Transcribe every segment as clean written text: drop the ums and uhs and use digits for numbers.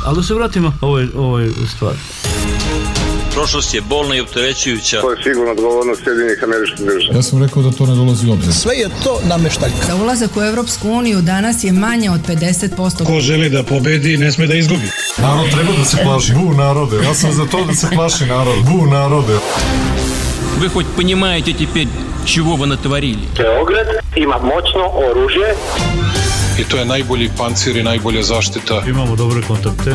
Ali da se vratimo ovoj stvari. Prošlost je bolna i opterećujuća. To je sigurno odgovornost Sjedinjenih Američkih Država. Ja sam rekao da to ne dolazi u obzir. Sve je to nameštaljka. Za ulazak u Evropsku uniju danas je manje od 50%. Ko želi da pobedi, ne sme da izgubi. Narod treba da se plaši. Bu narode. Ja sam za to da se plaši narod. Bu narode. Вы хоть понимаете теперь, чего вы натворили? Beograd ima moćno oružje. I to je najbolji pancir i najbolja zaštita. Imamo dobre kontakte.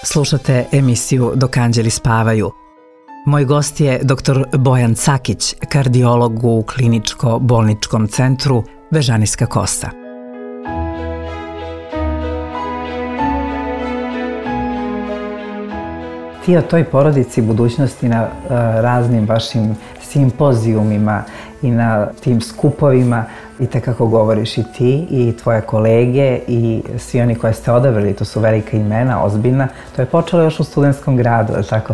Slušate emisiju Dok anđeli spavaju. Moj gost je dr. Bojan Cakić, kardiolog u kliničko-bolničkom centru Bežanijska Kosta. Ti o toj porodici budućnosti na raznim vašim simpozijumima i na tim skupovima itekako govoriš i ti i tvoje kolege i svi oni koje ste odabrali, to su velika imena, ozbiljna. To je počelo još u Studentskom gradu, tako,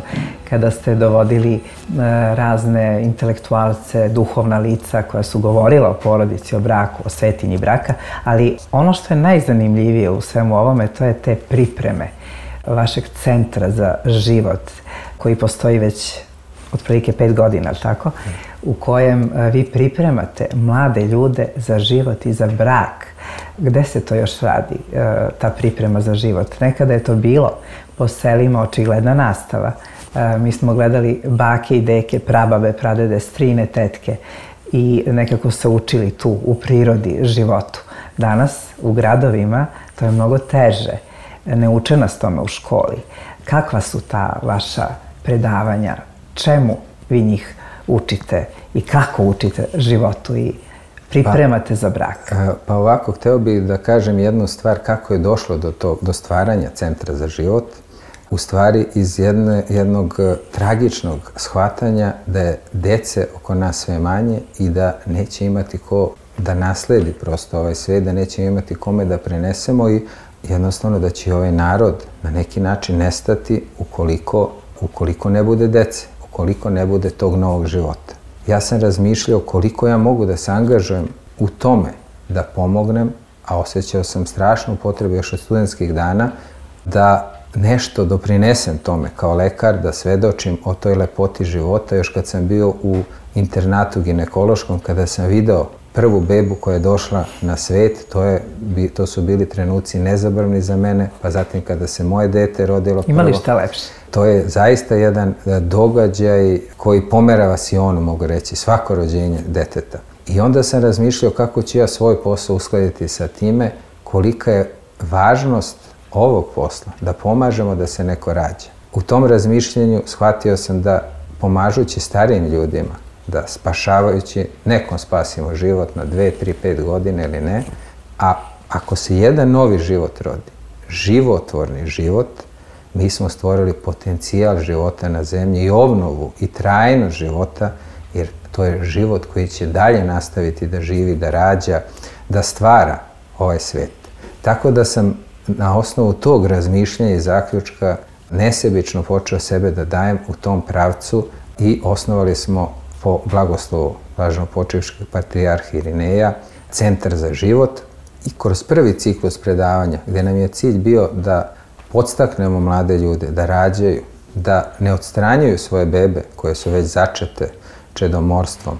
kada ste dovodili razne intelektualce, duhovna lica koja su govorila o porodici, o braku, o svetinji braka, ali ono što je najzanimljivije u svemu ovome, to je te pripreme vašeg centra za život, koji postoji već otprilike 5 godina, tako? U kojem vi pripremate mlade ljude za život i za brak. Gde se to još radi, ta priprema za život? Nekada je to bilo po selima očigledna nastava. Mi smo gledali bake i deke, prababe, pradede, strine, tetke i nekako se učili tu u prirodi, životu. Danas u gradovima to je mnogo teže. Ne uče nas tome u školi. Kakva su ta vaša predavanja? Čemu vi njih učite i kako učite životu i pripremate za brak? Pa ovako, hteo bih da kažem jednu stvar kako je došlo do stvaranja Centra za život. U stvari iz jednog tragičnog shvatanja da je dece oko nas sve manje i da neće imati ko da nasledi prosto ovaj svet, da neće imati kome da prenesemo i jednostavno da će ovaj narod na neki način nestati ukoliko ne bude dece, ukoliko ne bude tog novog života. Ja sam razmišljao koliko ja mogu da se angažujem u tome da pomognem, a osjećao sam strašnu potrebu još od studentskih dana da nešto doprinesem tome kao lekar, da svedočim o toj lepoti života. Još kad sam bio u internatu ginekološkom, kada sam video prvu bebu koja je došla na svet, to su bili trenuci nezaboravni za mene, pa zatim kada se moje dete rodilo prvo. Ima li šta lepše? To je zaista jedan događaj koji pomera sionu, mogu reći, svako rođenje deteta. I onda sam razmišljao kako ću ja svoj posao uskladiti sa time, kolika je važnost ovog posla, da pomažemo da se neko rađa. U tom razmišljenju shvatio sam da pomažući starijim ljudima, da spašavajući, nekom spasimo život na 2, 3, 5 godina ili ne, a ako se jedan novi život rodi, životvorni život, mi smo stvorili potencijal života na zemlji i obnovu i trajnost života, jer to je život koji će dalje nastaviti da živi, da rađa, da stvara ovaj svet. Tako da sam na osnovu tog razmišljanja i zaključka nesebično počeo sebe da dajem u tom pravcu i osnovali smo po blagoslovu blaženopočivškog patrijarha Irineja Centar za život i kroz prvi ciklus predavanja gde nam je cilj bio da podstaknemo mlade ljude da rađaju, da ne odstranjuju svoje bebe koje su već začete čedomorstvom,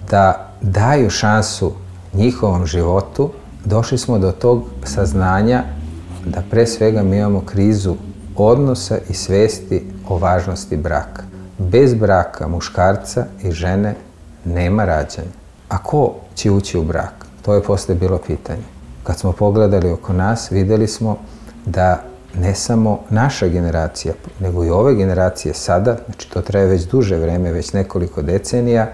da daju šansu njihovom životu, došli smo do tog saznanja da pre svega mi imamo krizu odnosa i svesti o važnosti braka. Bez braka muškarca i žene nema rađanja. A ko će ući u brak? To je posle bilo pitanje. Kad smo pogledali oko nas, videli smo da ne samo naša generacija, nego i ove generacije sada, znači to traje već duže vreme, već nekoliko decenija,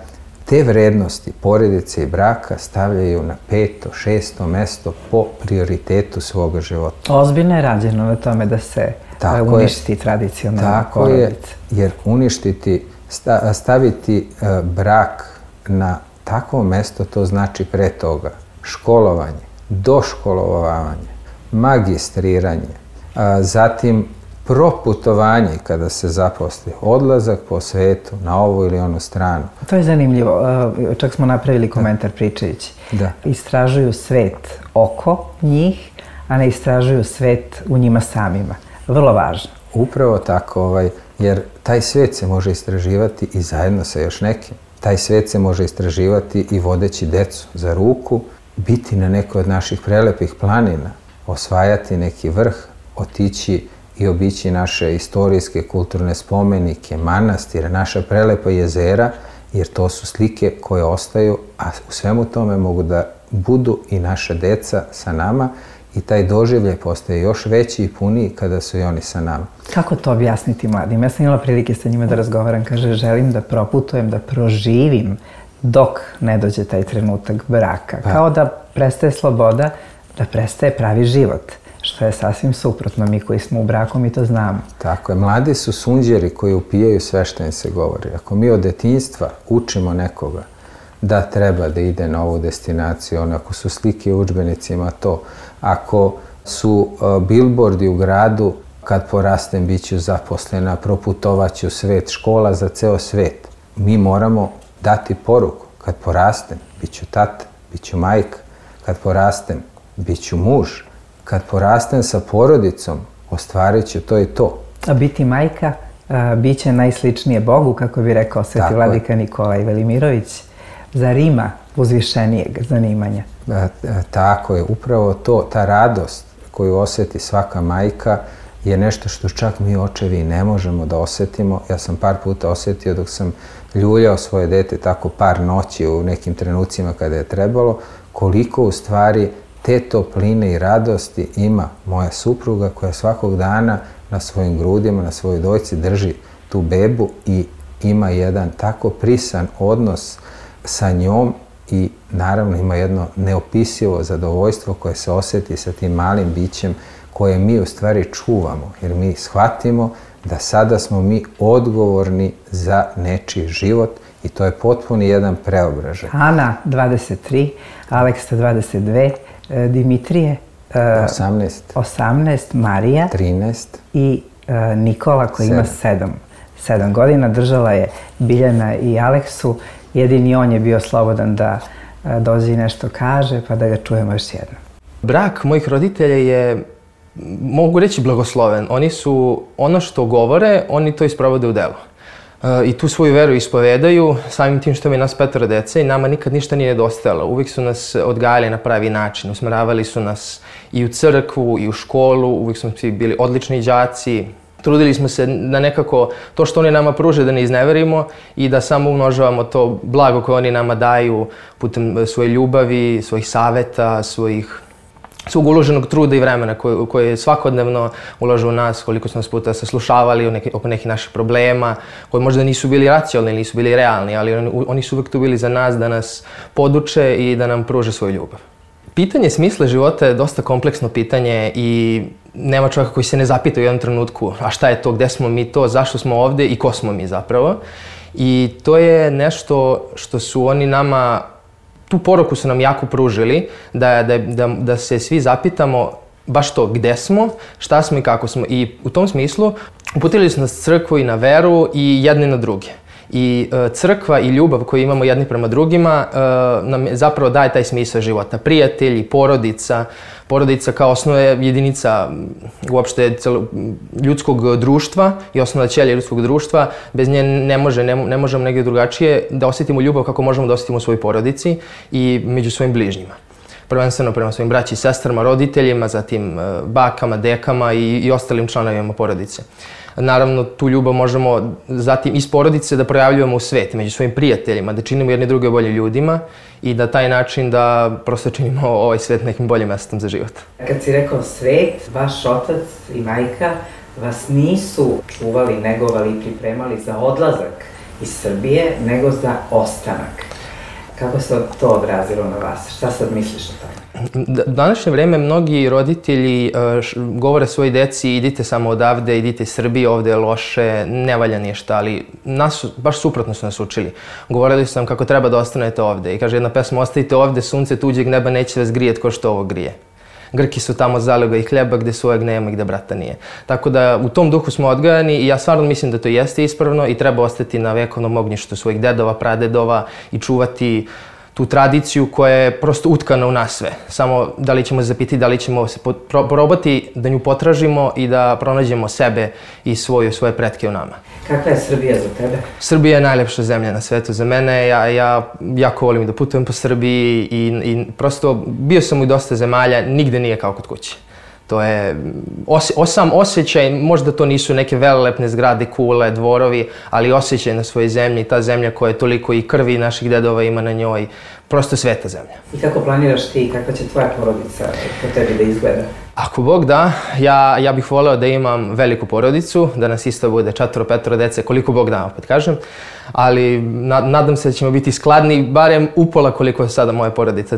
te vrednosti porodice i braka stavljaju na 5., 6. mesto po prioritetu svoga života. Ozbiljno je rađeno na tome da se uništi tradicionalna porodica. Tako je, jer staviti brak na takvo mesto, to znači pre toga školovanje, doškolovavanje, magistriranje, zatim proputovanje kada se zaposli, odlazak po svetu na ovu ili onu stranu. To je zanimljivo, čak smo napravili komentar pričajući. Da. Istražuju svet oko njih, a ne istražuju svet u njima samima. Vrlo važno. Upravo tako, jer taj svet se može istraživati i zajedno sa još nekim. Taj svet se može istraživati i vodeći decu za ruku, biti na nekoj od naših prelepih planina, osvajati neki vrh, otići i obići naše istorijske kulturne spomenike, manastire, naša prelepa jezera, jer to su slike koje ostaju, a u svemu tome mogu da budu i naša deca sa nama i taj doživljaj postaje još veći i puniji kada su i oni sa nama. Kako to objasniti mladim? Ja sam imala prilike sa njima da razgovaram, kaže, želim da proputujem, da proživim dok ne dođe taj trenutak braka. Kao da prestaje sloboda, da prestaje pravi život. Što je sasvim suprotno, mi koji smo u braku, mi to znamo. Tako je, mladi su sunđeri koji upijaju sve što im se govori. Ako mi od detinjstva učimo nekoga da treba da ide na ovu destinaciju, ako su slike u udžbenicima to, ako su bilbordi u gradu, kad porastem bit ću zaposlena, proputovaću svet, škola za ceo svet. Mi moramo dati poruku, kad porastem, bit ću tata, bit ću majka, kad porastem, bit ću muž, kad porastem sa porodicom, ostvarit ću to i to. A biti majka bit će najsličnije Bogu, kako bi rekao sveti vladika Nikolaj Velimirović, zar ima uzvišenijeg zanimanja? Tako je, upravo to, ta radost koju osjeti svaka majka je nešto što čak mi očevi ne možemo da osjetimo. Ja sam par puta osjetio dok sam ljuljao svoje dete tako par noći u nekim trenucima kada je trebalo, koliko u stvari te topline i radosti ima moja supruga koja svakog dana na svojim grudima, na svojoj dojci drži tu bebu i ima jedan tako prisan odnos sa njom i naravno ima jedno neopisivo zadovoljstvo koje se osjeti sa tim malim bićem koje mi u stvari čuvamo, jer mi shvatimo da sada smo mi odgovorni za nečiji život i to je potpuni jedan preobražaj. Ana 23, Aleksa 22, Dimitrije 18, Marija 13 i Nikola koji ima 7 godina. Držala je Biljana i Aleksu. Jedini on je bio slobodan da dođe i nešto kaže, pa da ga čujemo još jednom. Brak mojih roditelja je, mogu reći, blagosloven. Oni su ono što govore, oni to isprovode u delu. I tu svoju veru ispovedaju, samim tim što imaju nas 5 dece i nama nikad ništa nije nedostajalo. Uvijek su nas odgajali na pravi način, usmeravali su nas i u crkvu i u školu, uvijek smo svi bili odlični đaci. Trudili smo se da nekako to što oni nama pruže da ne izneverimo i da samo umnožavamo to blago koje oni nama daju putem svoje ljubavi, svojih saveta, svog uloženog truda i vremena koje svakodnevno ulažu u nas, koliko su nas puta saslušavali oko nekih naših problema, koji možda nisu bili racionalni, nisu bili realni, ali oni su uvijek tu bili za nas da nas poduče i da nam pruže svoju ljubav. Pitanje smisla života je dosta kompleksno pitanje i nema čovjeka koji se ne zapita u jednom trenutku a šta je to, gde smo mi to, zašto smo ovde i ko smo mi zapravo. I to je nešto što su oni nama, tu poruku su nam jako pružili, da se svi zapitamo baš to, gde smo, šta smo i kako smo. I u tom smislu uputili su nas crkvu i na veru i jedni na druge. I crkva i ljubav koju imamo jedni prema drugima nam zapravo daje taj smisao života. Prijatelji, porodica kao osnovna jedinica uopšte ljudskog društva i osnovna ćelija ljudskog društva. Bez nje ne možemo negdje drugačije da osjetimo ljubav kako možemo da osjetimo u svojoj porodici i među svojim bližnjima. Prvenstveno prema svojim braći i sestrama, roditeljima, zatim bakama, dekama i ostalim članovima porodice. Naravno, tu ljubav možemo zatim iz porodice da projavljujemo u svet, među svojim prijateljima, da činimo jedni druge boljim ljudima i da taj način da prosto činimo ovaj svet nekim boljim mestom za život. Kad si rekao svet, vaš otac i majka vas nisu čuvali, negovali i pripremali za odlazak iz Srbije, nego za ostanak. Kako se to odrazilo na vas? Šta sad misliš o tome? U današnje vreme mnogi roditelji govore svojoj deci idite samo odavde, idite iz Srbije, ovde je loše, ne valja ništa, ali baš suprotno su nas učili. Govorili su nam kako treba da ostanete ovde i kaže jedna pesma, ostavite ovde, sunce tuđeg neba neće vas grijet ko što ovo grije. Grki su tamo zaliga i hljeba gde svojeg nema i gde brata nije. Tako da u tom duhu smo odgajani i ja stvarno mislim da to jeste ispravno i treba ostati na vekovnom ognjištu svojih dedova, pradedova i čuvati tu tradiciju koja je prosto utkana u nas sve. Samo da li ćemo zapiti, da li ćemo se probati da nju potražimo i da pronađemo sebe i svoje pretke u nama. Kakva je Srbija za tebe? Srbija je najlepša zemlja na svetu za mene. Ja jako volim da putujem po Srbiji i prosto bio sam u dosta zemalja, nigde nije kao kod kuće. To je sam osjećaj, možda to nisu neke velelepne zgrade, kule, dvorovi, ali osjećaj na svojoj zemlji, ta zemlja koja je toliko i krvi naših dedova ima na njoj, prosto sveta zemlja. I kako planiraš ti, kakva će tvoja porodica po tebi da izgleda? Ako Bog da, ja bih voleo da imam veliku porodicu, da nas isto bude 4-5 dece, koliko Bog da, opet kažem, ali nadam se da ćemo biti skladni, barem upola koliko je sada moja porodica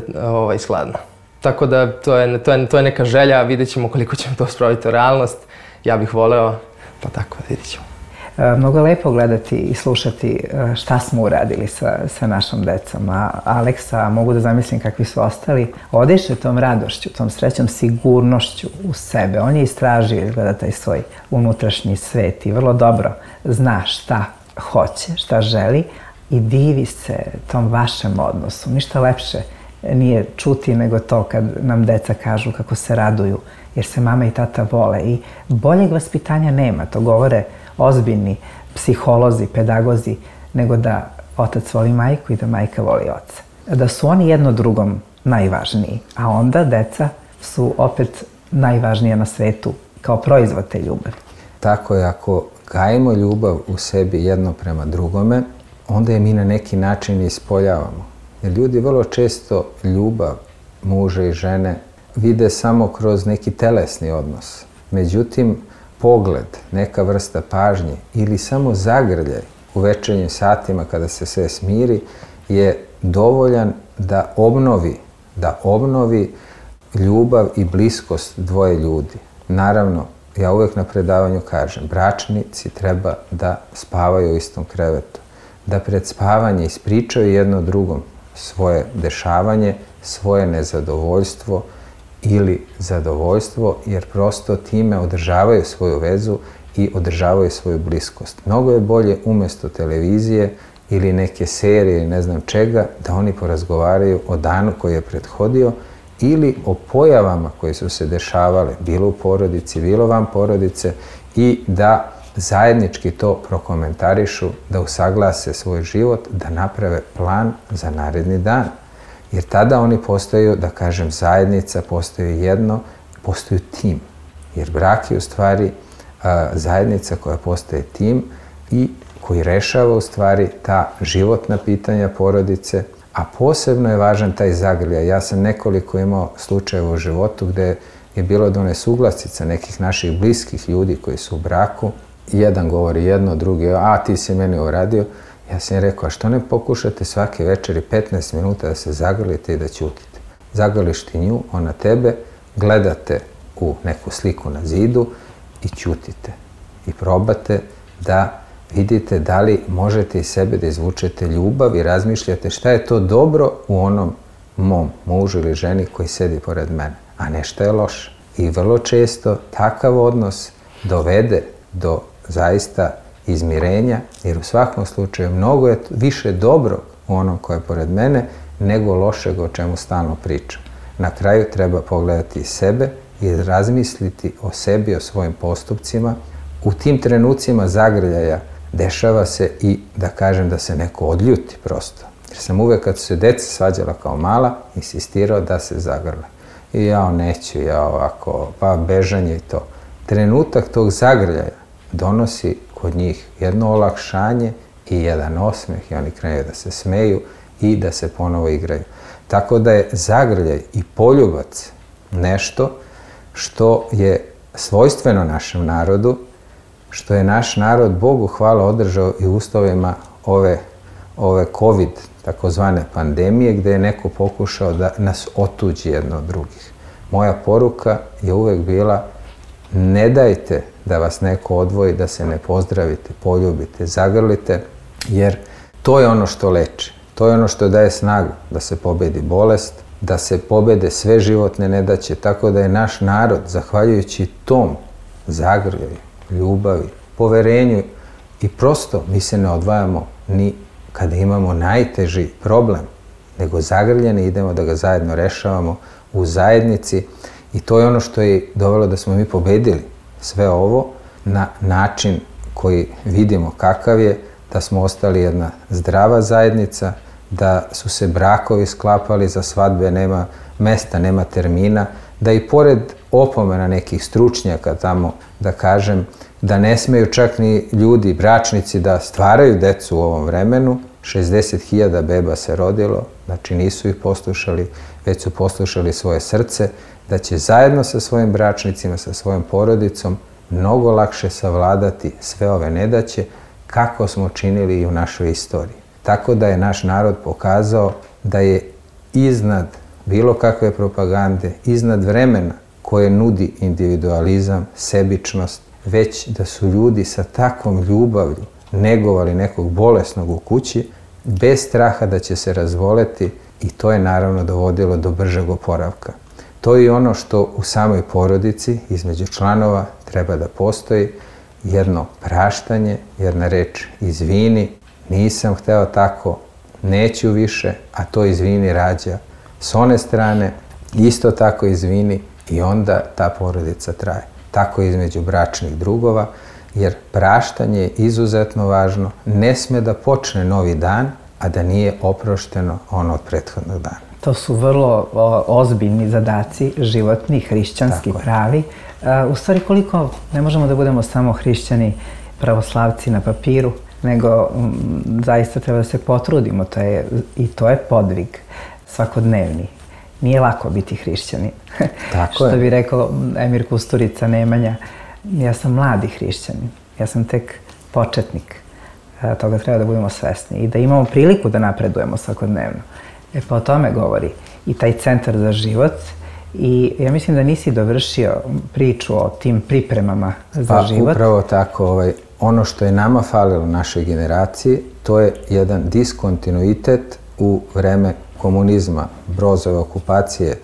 skladna. Tako da to je neka želja, vidjet ćemo koliko ćemo to spraviti u realnost. Ja bih voleo, pa tako, vidjet ćemo. Mnogo je lepo gledati i slušati šta smo uradili sa našom decom. A Aleksa, mogu da zamislim kakvi su ostali. Odiše tom radošću, tom srećom, sigurnošću u sebe. On je istražio izgleda taj svoj unutrašnji svet i vrlo dobro zna šta hoće, šta želi i divi se tom vašem odnosu. Ništa lepše nije čuti nego to kad nam deca kažu kako se raduju jer se mama i tata vole i boljeg vaspitanja nema, to govore ozbiljni psiholozi, pedagozi, nego da otac voli majku i da majka voli oca. Da su oni jedno drugom najvažniji, a onda deca su opet najvažnija na svetu kao proizvod te ljubavi. Tako je, ako gajimo ljubav u sebi jedno prema drugome, onda je mi na neki način ispoljavamo. Jer ljudi vrlo često ljubav muža i žene vide samo kroz neki telesni odnos. Međutim, pogled, neka vrsta pažnje ili samo zagrljaj u večernjim satima kada se sve smiri je dovoljan da obnovi ljubav i bliskost dvoje ljudi. Naravno, ja uvijek na predavanju kažem, bračnici treba da spavaju u istom krevetu, da pred spavanje ispričaju jedno drugom svoje dešavanje, svoje nezadovoljstvo ili zadovoljstvo, jer prosto time održavaju svoju vezu i održavaju svoju bliskost. Mnogo je bolje umjesto televizije ili neke serije ili ne znam čega, da oni porazgovaraju o danu koji je prethodio ili o pojavama koje su se dešavale, bilo u porodici, bilo van porodice i da zajednički to prokomentarišu, da usaglase svoj život, da naprave plan za naredni dan. Jer tada oni postaju, da kažem, zajednica, postaju jedno, postaju tim. Jer brak je u stvari zajednica koja postaje tim i koji rešava u stvari ta životna pitanja porodice, a posebno je važan taj zagrljaj. Ja sam nekoliko imao slučajeva u životu gde je bilo do nesuglasica nekih naših bliskih ljudi koji su u braku. Jedan govori jedno, drugi, a ti si meni uradio. Ja sam rekao, a što ne pokušate svake večeri 15 minuta da se zagrlite i da ćutite? Zagrliš ti nju, ona tebe, gledate u neku sliku na zidu i ćutite. I probate da vidite da li možete iz sebe da izvučete ljubav i razmišljate šta je to dobro u onom mom mužu ili ženi koji sedi pored mene, a ne šta je loše. I vrlo često takav odnos dovede do zaista izmirenja, jer u svakom slučaju mnogo je više dobrog u onom koje je pored mene nego lošeg o čemu stalno pričam. Na kraju treba pogledati sebe i razmisliti o sebi, o svojim postupcima. U tim trenucima zagrljaja dešava se i da kažem da se neko odljuti prosto. Jer sam uvek kad su se deca svađala kao mala, insistirao da se zagrle. I ja neću, ja ovako, pa bežanje i to. Trenutak tog zagrljaja donosi kod njih jedno olakšanje i jedan osmeh i oni krenuju da se smeju i da se ponovo igraju. Tako da je zagrljaj i poljubac nešto što je svojstveno našem narodu, što je naš narod, Bogu hvala, održao i u uslovima ove COVID, takozvane pandemije, gde je neko pokušao da nas otuđi jedno od drugih. Moja poruka je uvek bila, ne dajte da vas neko odvoji, da se ne pozdravite, poljubite, zagrlite, jer to je ono što leči. To je ono što daje snagu da se pobedi bolest, da se pobede sve životne nedaće, tako da je naš narod, zahvaljujući tom zagrljaju, ljubavi, poverenju i prosto mi se ne odvajamo ni kada imamo najteži problem, nego zagrljeni idemo da ga zajedno rešavamo u zajednici i to je ono što je dovelo da smo mi pobedili sve ovo na način koji vidimo kakav je, da smo ostali jedna zdrava zajednica, da su se brakovi sklapali, za svadbe nema mesta, nema termina, da i pored opomena nekih stručnjaka tamo, da kažem, da ne smeju čak ni ljudi, bračnici, da stvaraju decu u ovom vremenu. 60.000 beba se rodilo, znači nisu ih poslušali, već su poslušali svoje srce, da će zajedno sa svojim bračnicima, sa svojom porodicom mnogo lakše savladati sve ove nedaće kako smo činili i u našoj istoriji. Tako da je naš narod pokazao da je iznad bilo kakve propagande, iznad vremena koje nudi individualizam, sebičnost, već da su ljudi sa takvom ljubavlju negovali nekog bolesnog u kući, bez straha da će se razvoleti i to je naravno dovodilo do bržeg oporavka. To je ono što u samoj porodici između članova treba da postoji, jedno praštanje, jedna reč izvini, nisam hteo tako, neću više, a to izvini rađa s one strane, isto tako izvini i onda ta porodica traje. Tako između bračnih drugova, jer praštanje je izuzetno važno, ne sme da počne novi dan, a da nije oprošteno ono od prethodnog dana. To su vrlo ozbiljni zadaci, životni, hrišćanski, pravi. U stvari, koliko ne možemo da budemo samo hrišćani, pravoslavci na papiru, nego zaista treba da se potrudimo. I to je podvig svakodnevni. Nije lako biti hrišćanin. Što bi rekao Emir Kusturica Nemanja, ja sam mladi hrišćanin, ja sam tek početnik. Toga treba da budemo svesni i da imamo priliku da napredujemo svakodnevno. Pa o tome govori i taj centar za život i ja mislim da nisi dovršio priču o tim pripremama za život. Pa upravo tako, ono što je nama falilo našoj generaciji, to je jedan diskontinuitet u vreme komunizma, Brozove okupacije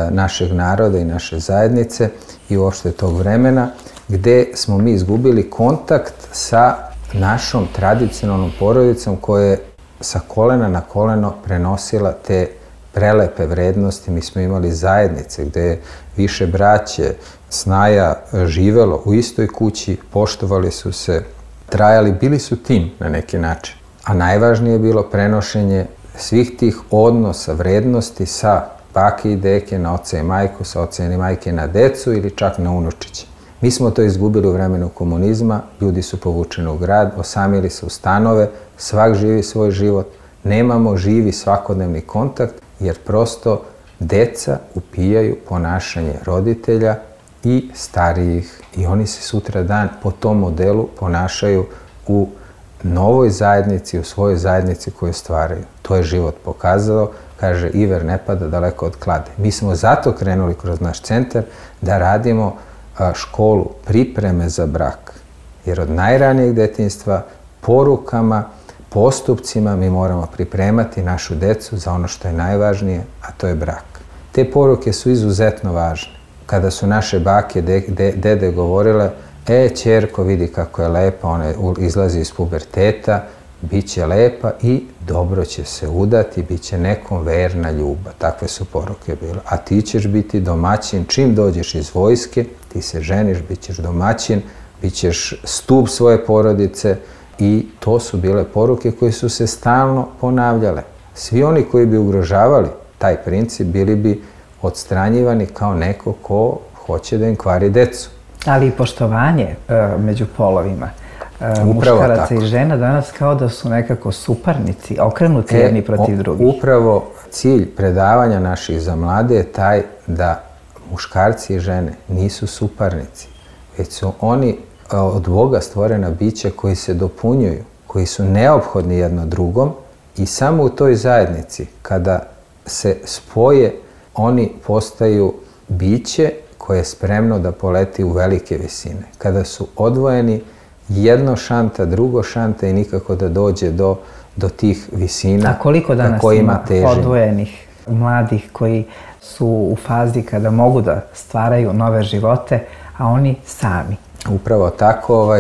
našeg naroda i naše zajednice i uopšte tog vremena, gde smo mi izgubili kontakt sa našom tradicionalnom porodicom koja je sa kolena na koleno prenosila te prelepe vrednosti. Mi smo imali zajednice gde je više braće, snaja živelo u istoj kući, poštovali su se, trajali, bili su tim na neki način. A najvažnije je bilo prenošenje svih tih odnosa, vrednosti sa bake i deke na oca i majku, sa oca i majke na decu ili čak na unučiće. Mi smo to izgubili u vremenu komunizma, ljudi su povučeni u grad, osamili se u stanove, svak živi svoj život, nemamo živi svakodnevni kontakt jer prosto deca upijaju ponašanje roditelja i starijih i oni se sutra dan po tom modelu ponašaju u novoj zajednici, u svojoj zajednici koju stvaraju. To je život pokazao, kaže iver ne pada daleko od klade. Mi smo zato krenuli kroz naš centar da radimo školu pripreme za brak. Jer od najranijeg detinjstva, porukama, postupcima mi moramo pripremati našu decu za ono što je najvažnije, a to je brak. Te poruke su izuzetno važne. Kada su naše bake, dede govorile, ćerko vidi kako je lepa, ona izlazi iz puberteta, bit će lepa i dobro će se udati, bit će nekom verna ljubav. Takve su poruke bile. A ti ćeš biti domaćin, čim dođeš iz vojske, ti se ženiš, bit ćeš domaćin, bit ćeš stup svoje porodice i to su bile poruke koje su se stalno ponavljale. Svi oni koji bi ugrožavali taj princip bili bi odstranjivani kao neko ko hoće da im kvari decu. Ali i poštovanje među polovima. Muškaraca i žena danas kao da su nekako suparnici, okrenuti jedni protiv drugih. Upravo cilj predavanja naših za mlade je taj da muškarci i žene nisu suparnici, već su oni od Boga stvorena bića koji se dopunjuju, koji su neophodni jedno drugom i samo u toj zajednici kada se spoje oni postaju biće koje je spremno da poleti u velike visine. Kada su odvojeni, jedno šanta, drugo šanta i nikako da dođe do tih visina na kojima težimo. A koliko danas ima odvojenih mladih koji su u fazi kada mogu da stvaraju nove živote, a oni sami. Upravo tako,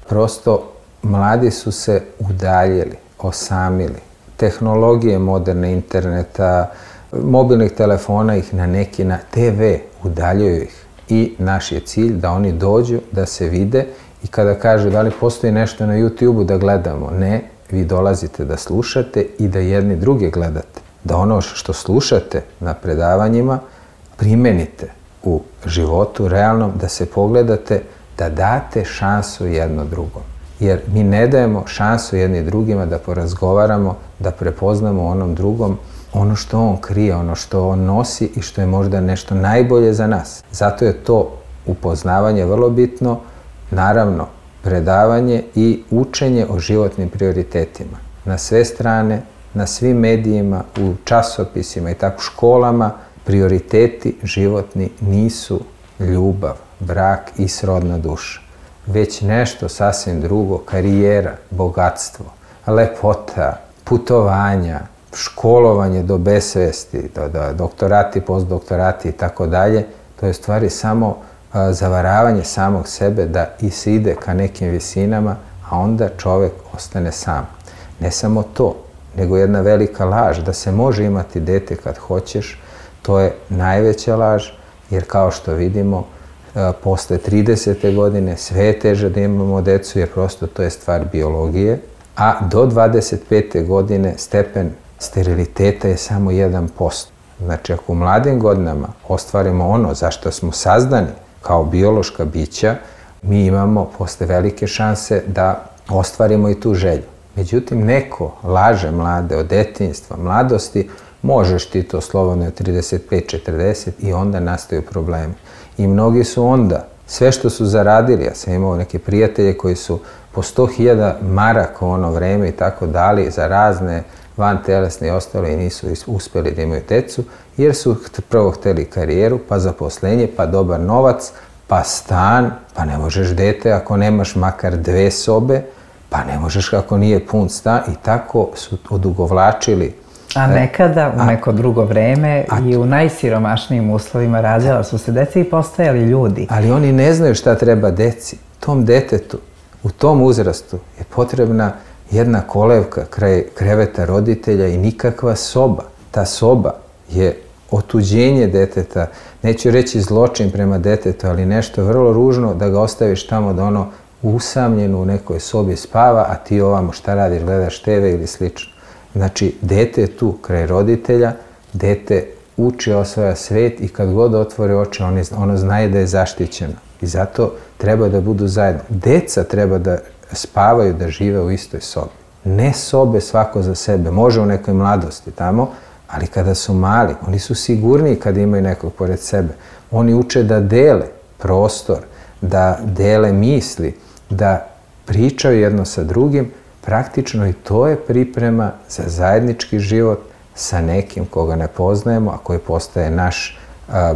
prosto mladi su se udaljili, osamili. Tehnologije moderne, interneta, mobilnih telefona ih na neki na TV udaljuju ih. I naš je cilj da oni dođu, da se vide i kada kažu da li postoji nešto na YouTube-u da gledamo, ne, vi dolazite da slušate i da jedni druge gledate. Da ono što slušate na predavanjima primenite u životu realnom, da se pogledate, da date šansu jedno drugom. Jer mi ne dajemo šansu jedni drugima da porazgovaramo, da prepoznamo onom drugom ono što on krije, ono što on nosi i što je možda nešto najbolje za nas. Zato je to upoznavanje vrlo bitno, naravno predavanje i učenje o životnim prioritetima. Na sve strane, na svim medijima, u časopisima i tako školama, prioriteti životni nisu ljubav, brak i srodna duša, već nešto sasvim drugo, karijera, bogatstvo, lepota, putovanja, školovanje do besvesti, doktorati, postdoktorati i tako dalje. To je stvari samo zavaravanje samog sebe da i se ide ka nekim visinama, a onda čovek ostane sam. Ne samo to, nego jedna velika laž da se može imati dete kad hoćeš, to je najveća laž, jer kao što vidimo, posle 30. godine sve je teže da imamo decu, jer prosto to je stvar biologije, a do 25. godine stepen steriliteta je samo 1%. Znači, ako u mladim godinama ostvarimo ono za što smo sazdani kao biološka bića, mi imamo posle velike šanse da ostvarimo i tu želju. Međutim, neko laže mlade od detinjstva, mladosti, možeš ti to slobodno od 35-40 i onda nastaju problemi. I mnogi su onda, sve što su zaradili, ja sam imao neke prijatelje koji su po 100.000 maraka u ono vreme i tako dali za razne vantelesne i ostalo i nisu uspeli da imaju decu, jer su prvo hteli karijeru, pa zaposlenje, pa dobar novac, pa stan, pa ne možeš dete ako nemaš makar 2 sobe, pa ne možeš ako nije pun stan i tako su odugovlačili. A nekada, u neko drugo vreme i u najsiromašnijim uslovima rađala su se deca i postajali ljudi. Ali oni ne znaju šta treba deci. Tom detetu, u tom uzrastu je potrebna jedna kolevka kraj kreveta roditelja i nikakva soba. Ta soba je otuđenje deteta, neću reći zločin prema detetu, ali nešto vrlo ružno da ga ostaviš tamo da ono usamljeno u nekoj sobi spava, a ti ovamo šta radiš, gledaš TV ili slično. Znači, dete je tu kraj roditelja, dete uči, osvaja svet i kad god otvore oči, ono znaje da je zaštićeno. I zato treba da budu zajedno. Deca treba da spavaju, da žive u istoj sobi. Ne sobe svako za sebe, može u nekoj mladosti tamo, ali kada su mali, oni su sigurniji kada imaju nekog pored sebe. Oni uče da dele prostor, da dele misli, da pričaju jedno sa drugim, praktično i to je priprema za zajednički život sa nekim koga ne poznajemo, a koji postaje naš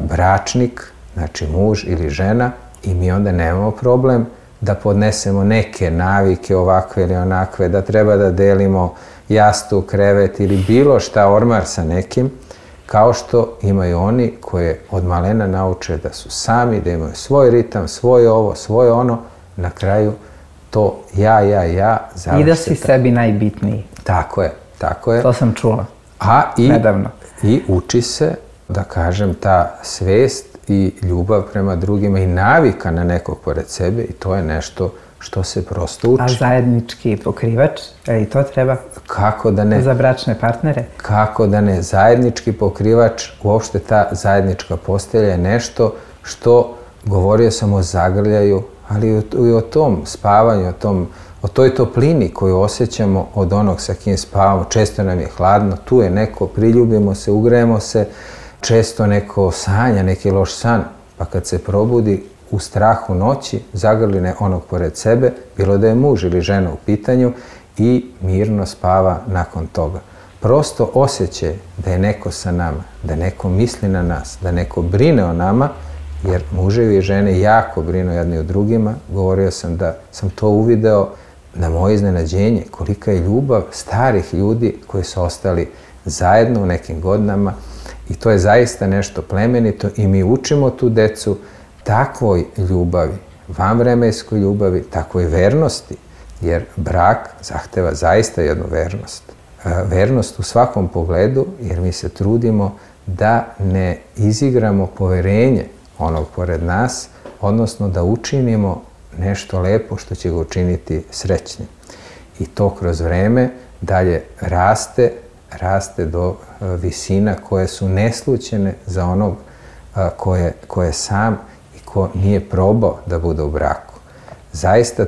bračnik, znači muž ili žena, i mi onda nemamo problem da podnesemo neke navike ovakve ili onakve, da treba da delimo jastuk, krevet ili bilo šta, ormar sa nekim, kao što imaju oni koje od malena nauče da su sami, da imaju svoj ritam, svoje ovo, svoje ono, na kraju to ja završi. I da si sebi najbitniji. Tako je, tako je. To sam čula nedavno. I uči se, da kažem, ta svest i ljubav prema drugima i navika na nekog pored sebe i to je nešto što se prosto uči. A zajednički pokrivač, i to treba? Kako da ne? Za bračne partnere? Kako da ne? Zajednički pokrivač, uopšte ta zajednička postelja je nešto što, govorio sam o zagrljaju, ali i o tom spavanju, o toj toplini koju osjećamo od onog sa kim spavamo. Često nam je hladno, tu je neko, priljubimo se, ugrejemo se, često neko sanja, neki loš san, pa kad se probudi u strahu noći, zagrli onog pored sebe, bilo da je muž ili žena u pitanju, i mirno spava nakon toga. Prosto osjećaj da je neko sa nama, da neko misli na nas, da neko brine o nama, jer muževi i žene jako brinu jedni o drugima. Govorio sam da sam to uvideo na moje iznenađenje, kolika je ljubav starih ljudi koji su ostali zajedno u nekim godinama, I to je zaista nešto plemenito i mi učimo tu decu takvoj ljubavi, vanvremenskoj ljubavi, takvoj vernosti, jer brak zahteva zaista jednu vernost. Vernost u svakom pogledu, jer mi se trudimo da ne izigramo poverenje onog pored nas, odnosno da učinimo nešto lepo što će ga učiniti srećnim. I to kroz vreme dalje raste do visina koje su neslućene za onog ko je sam i ko nije probao da bude u braku. Zaista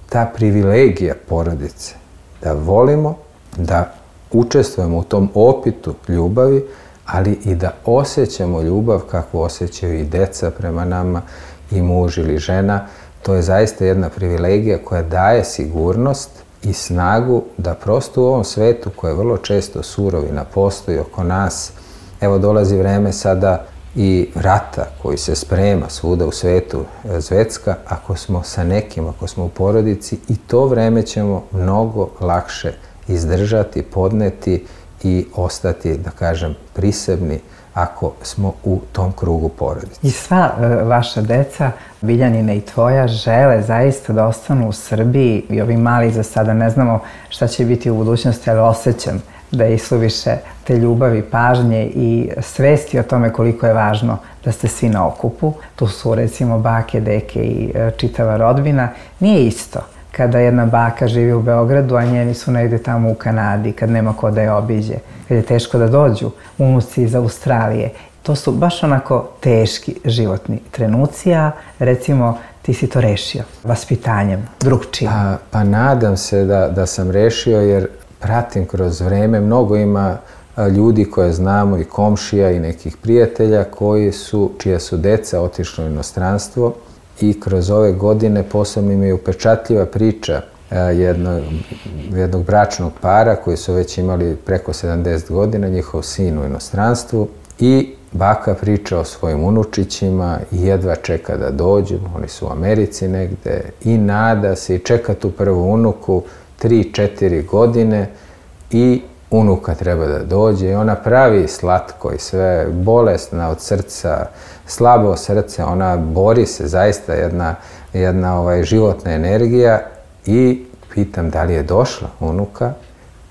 ta privilegija porodice, da volimo, da učestvujemo u tom opitu ljubavi, ali i da osjećamo ljubav kakvu osjećaju i deca prema nama, i muž ili žena, to je zaista jedna privilegija koja daje sigurnost i snagu da prosto u ovom svetu koji je vrlo često surov i napostoji oko nas, evo dolazi vreme sada i rata koji se sprema svuda u svetu zvecka, ako smo sa nekim, ako smo u porodici, i to vreme ćemo mnogo lakše izdržati, podneti i ostati, da kažem, prisebni ako smo u tom krugu porodice. I sva vaša deca, Biljanina i tvoja, žele zaista da ostanu u Srbiji i ovi mali za sada ne znamo šta će biti u budućnosti, ali osjećam da je isuviše te ljubavi, pažnje i svesti o tome koliko je važno da ste svi na okupu. Tu su recimo bake, deke i čitava rodbina. Nije isto kada jedna baka živi u Beogradu, a njeni su negde tamo u Kanadi, kad nema ko da je obiđe, kad je teško da dođu unuci iz Australije. To su baš onako teški životni trenuci, a recimo ti si to rešio vaspitanjem, drugčijim. Pa nadam se da sam rešio, jer pratim kroz vreme, mnogo ima ljudi koje znamo i komšija i nekih prijatelja čija su deca otišla u inostranstvo, i kroz ove godine posebno im je upečatljiva priča jednog bračnog para koji su već imali preko 70 godina, njihov sin u inostranstvu, i baka priča o svojim unučićima i jedva čeka da dođu, oni su u Americi negde, i nada se i čeka tu prvu unuku 3-4 godine i unuka treba da dođe i ona pravi slatko i sve, bolesna od srca, slabo srce, ona bori se, zaista jedna životna energija, i pitam da li je došla unuka.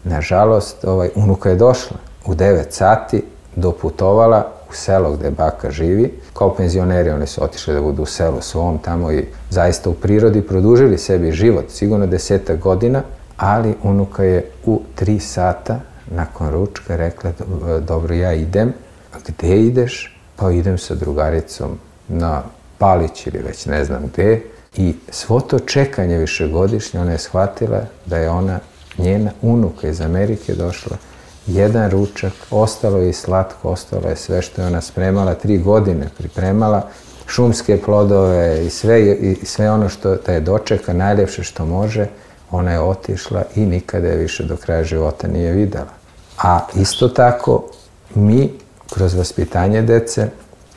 Nažalost, unuka je došla u 9 sati, doputovala u selo gde baka živi. Kao penzioneri oni su otišli da budu u selu svom tamo i zaista u prirodi produžili sebi život, sigurno 10 godina, ali unuka je u 3 sata nakon ručka rekla: dobro, ja idem. A gde ideš? Pa idem sa drugaricom na Palić ili već ne znam gde. I svo to čekanje višegodišnje, ona je shvatila da je njena unuka iz Amerike došla. Jedan ručak, ostalo je i slatko, ostalo je sve što je ona spremala, 3 godine pripremala, šumske plodove i sve ono što da je dočeka, najljepše što može. Ona je otišla i nikada je više do kraja života nije videla. A isto tako, mi kroz vaspitanje dece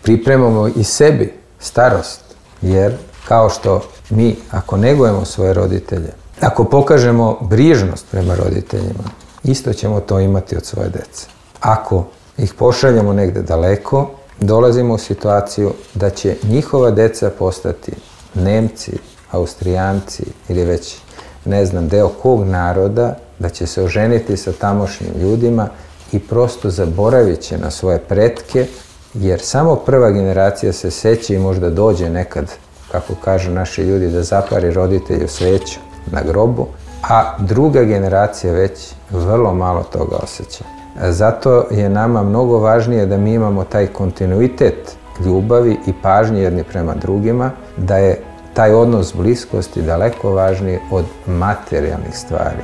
pripremamo i sebi starost, jer kao što mi, ako negujemo svoje roditelje, ako pokažemo brižnost prema roditeljima, isto ćemo to imati od svoje dece. Ako ih pošaljemo negde daleko, dolazimo u situaciju da će njihova deca postati Nemci, Austrijanci ili već ne znam deo kog naroda, da će se oženiti sa tamošnjim ljudima i prosto zaboravit će na svoje pretke, jer samo prva generacija se seća i možda dođe nekad, kako kažu naši ljudi, da zapari roditelju sveću na grobu, a druga generacija već vrlo malo toga osjeća. Zato je nama mnogo važnije da mi imamo taj kontinuitet ljubavi i pažnje jedni prema drugima, da je taj odnos bliskosti daleko važniji od materijalnih stvari.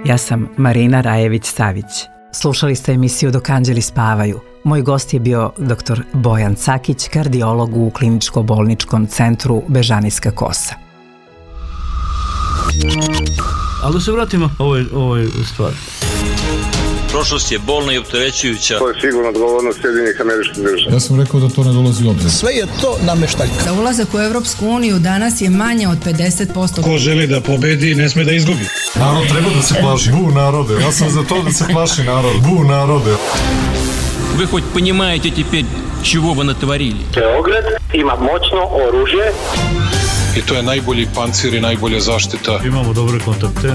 Ja sam Marina Rajević-Savić. Slušali ste emisiju Dok anđeli spavaju. Moj gost je bio dr. Bojan Cakić, kardiolog u Kliničko-bolničkom centru Bežanijska Kosa. Ali da se vratimo ovoj stvari. Prošlost je bolna i opterećujuća. To je sigurno odgovornost Sjedinjenih Američkih Država. Ja sam rekao da to ne dolazi u obzir. Sve je to nameštaljka. Za ulazak u Evropsku uniju danas je manje od 50%. Ko želi da pobedi, ne sme da izgubi. Narod treba da se plaši. Bu narode. Ja sam za to da se plaši narod. Bu narode. Вы хоть понимаете теперь, чего вы натворили? Beograd ima moćno oružje. I to je najbolji pancir i najbolja zaštita. Imamo dobre kontakte.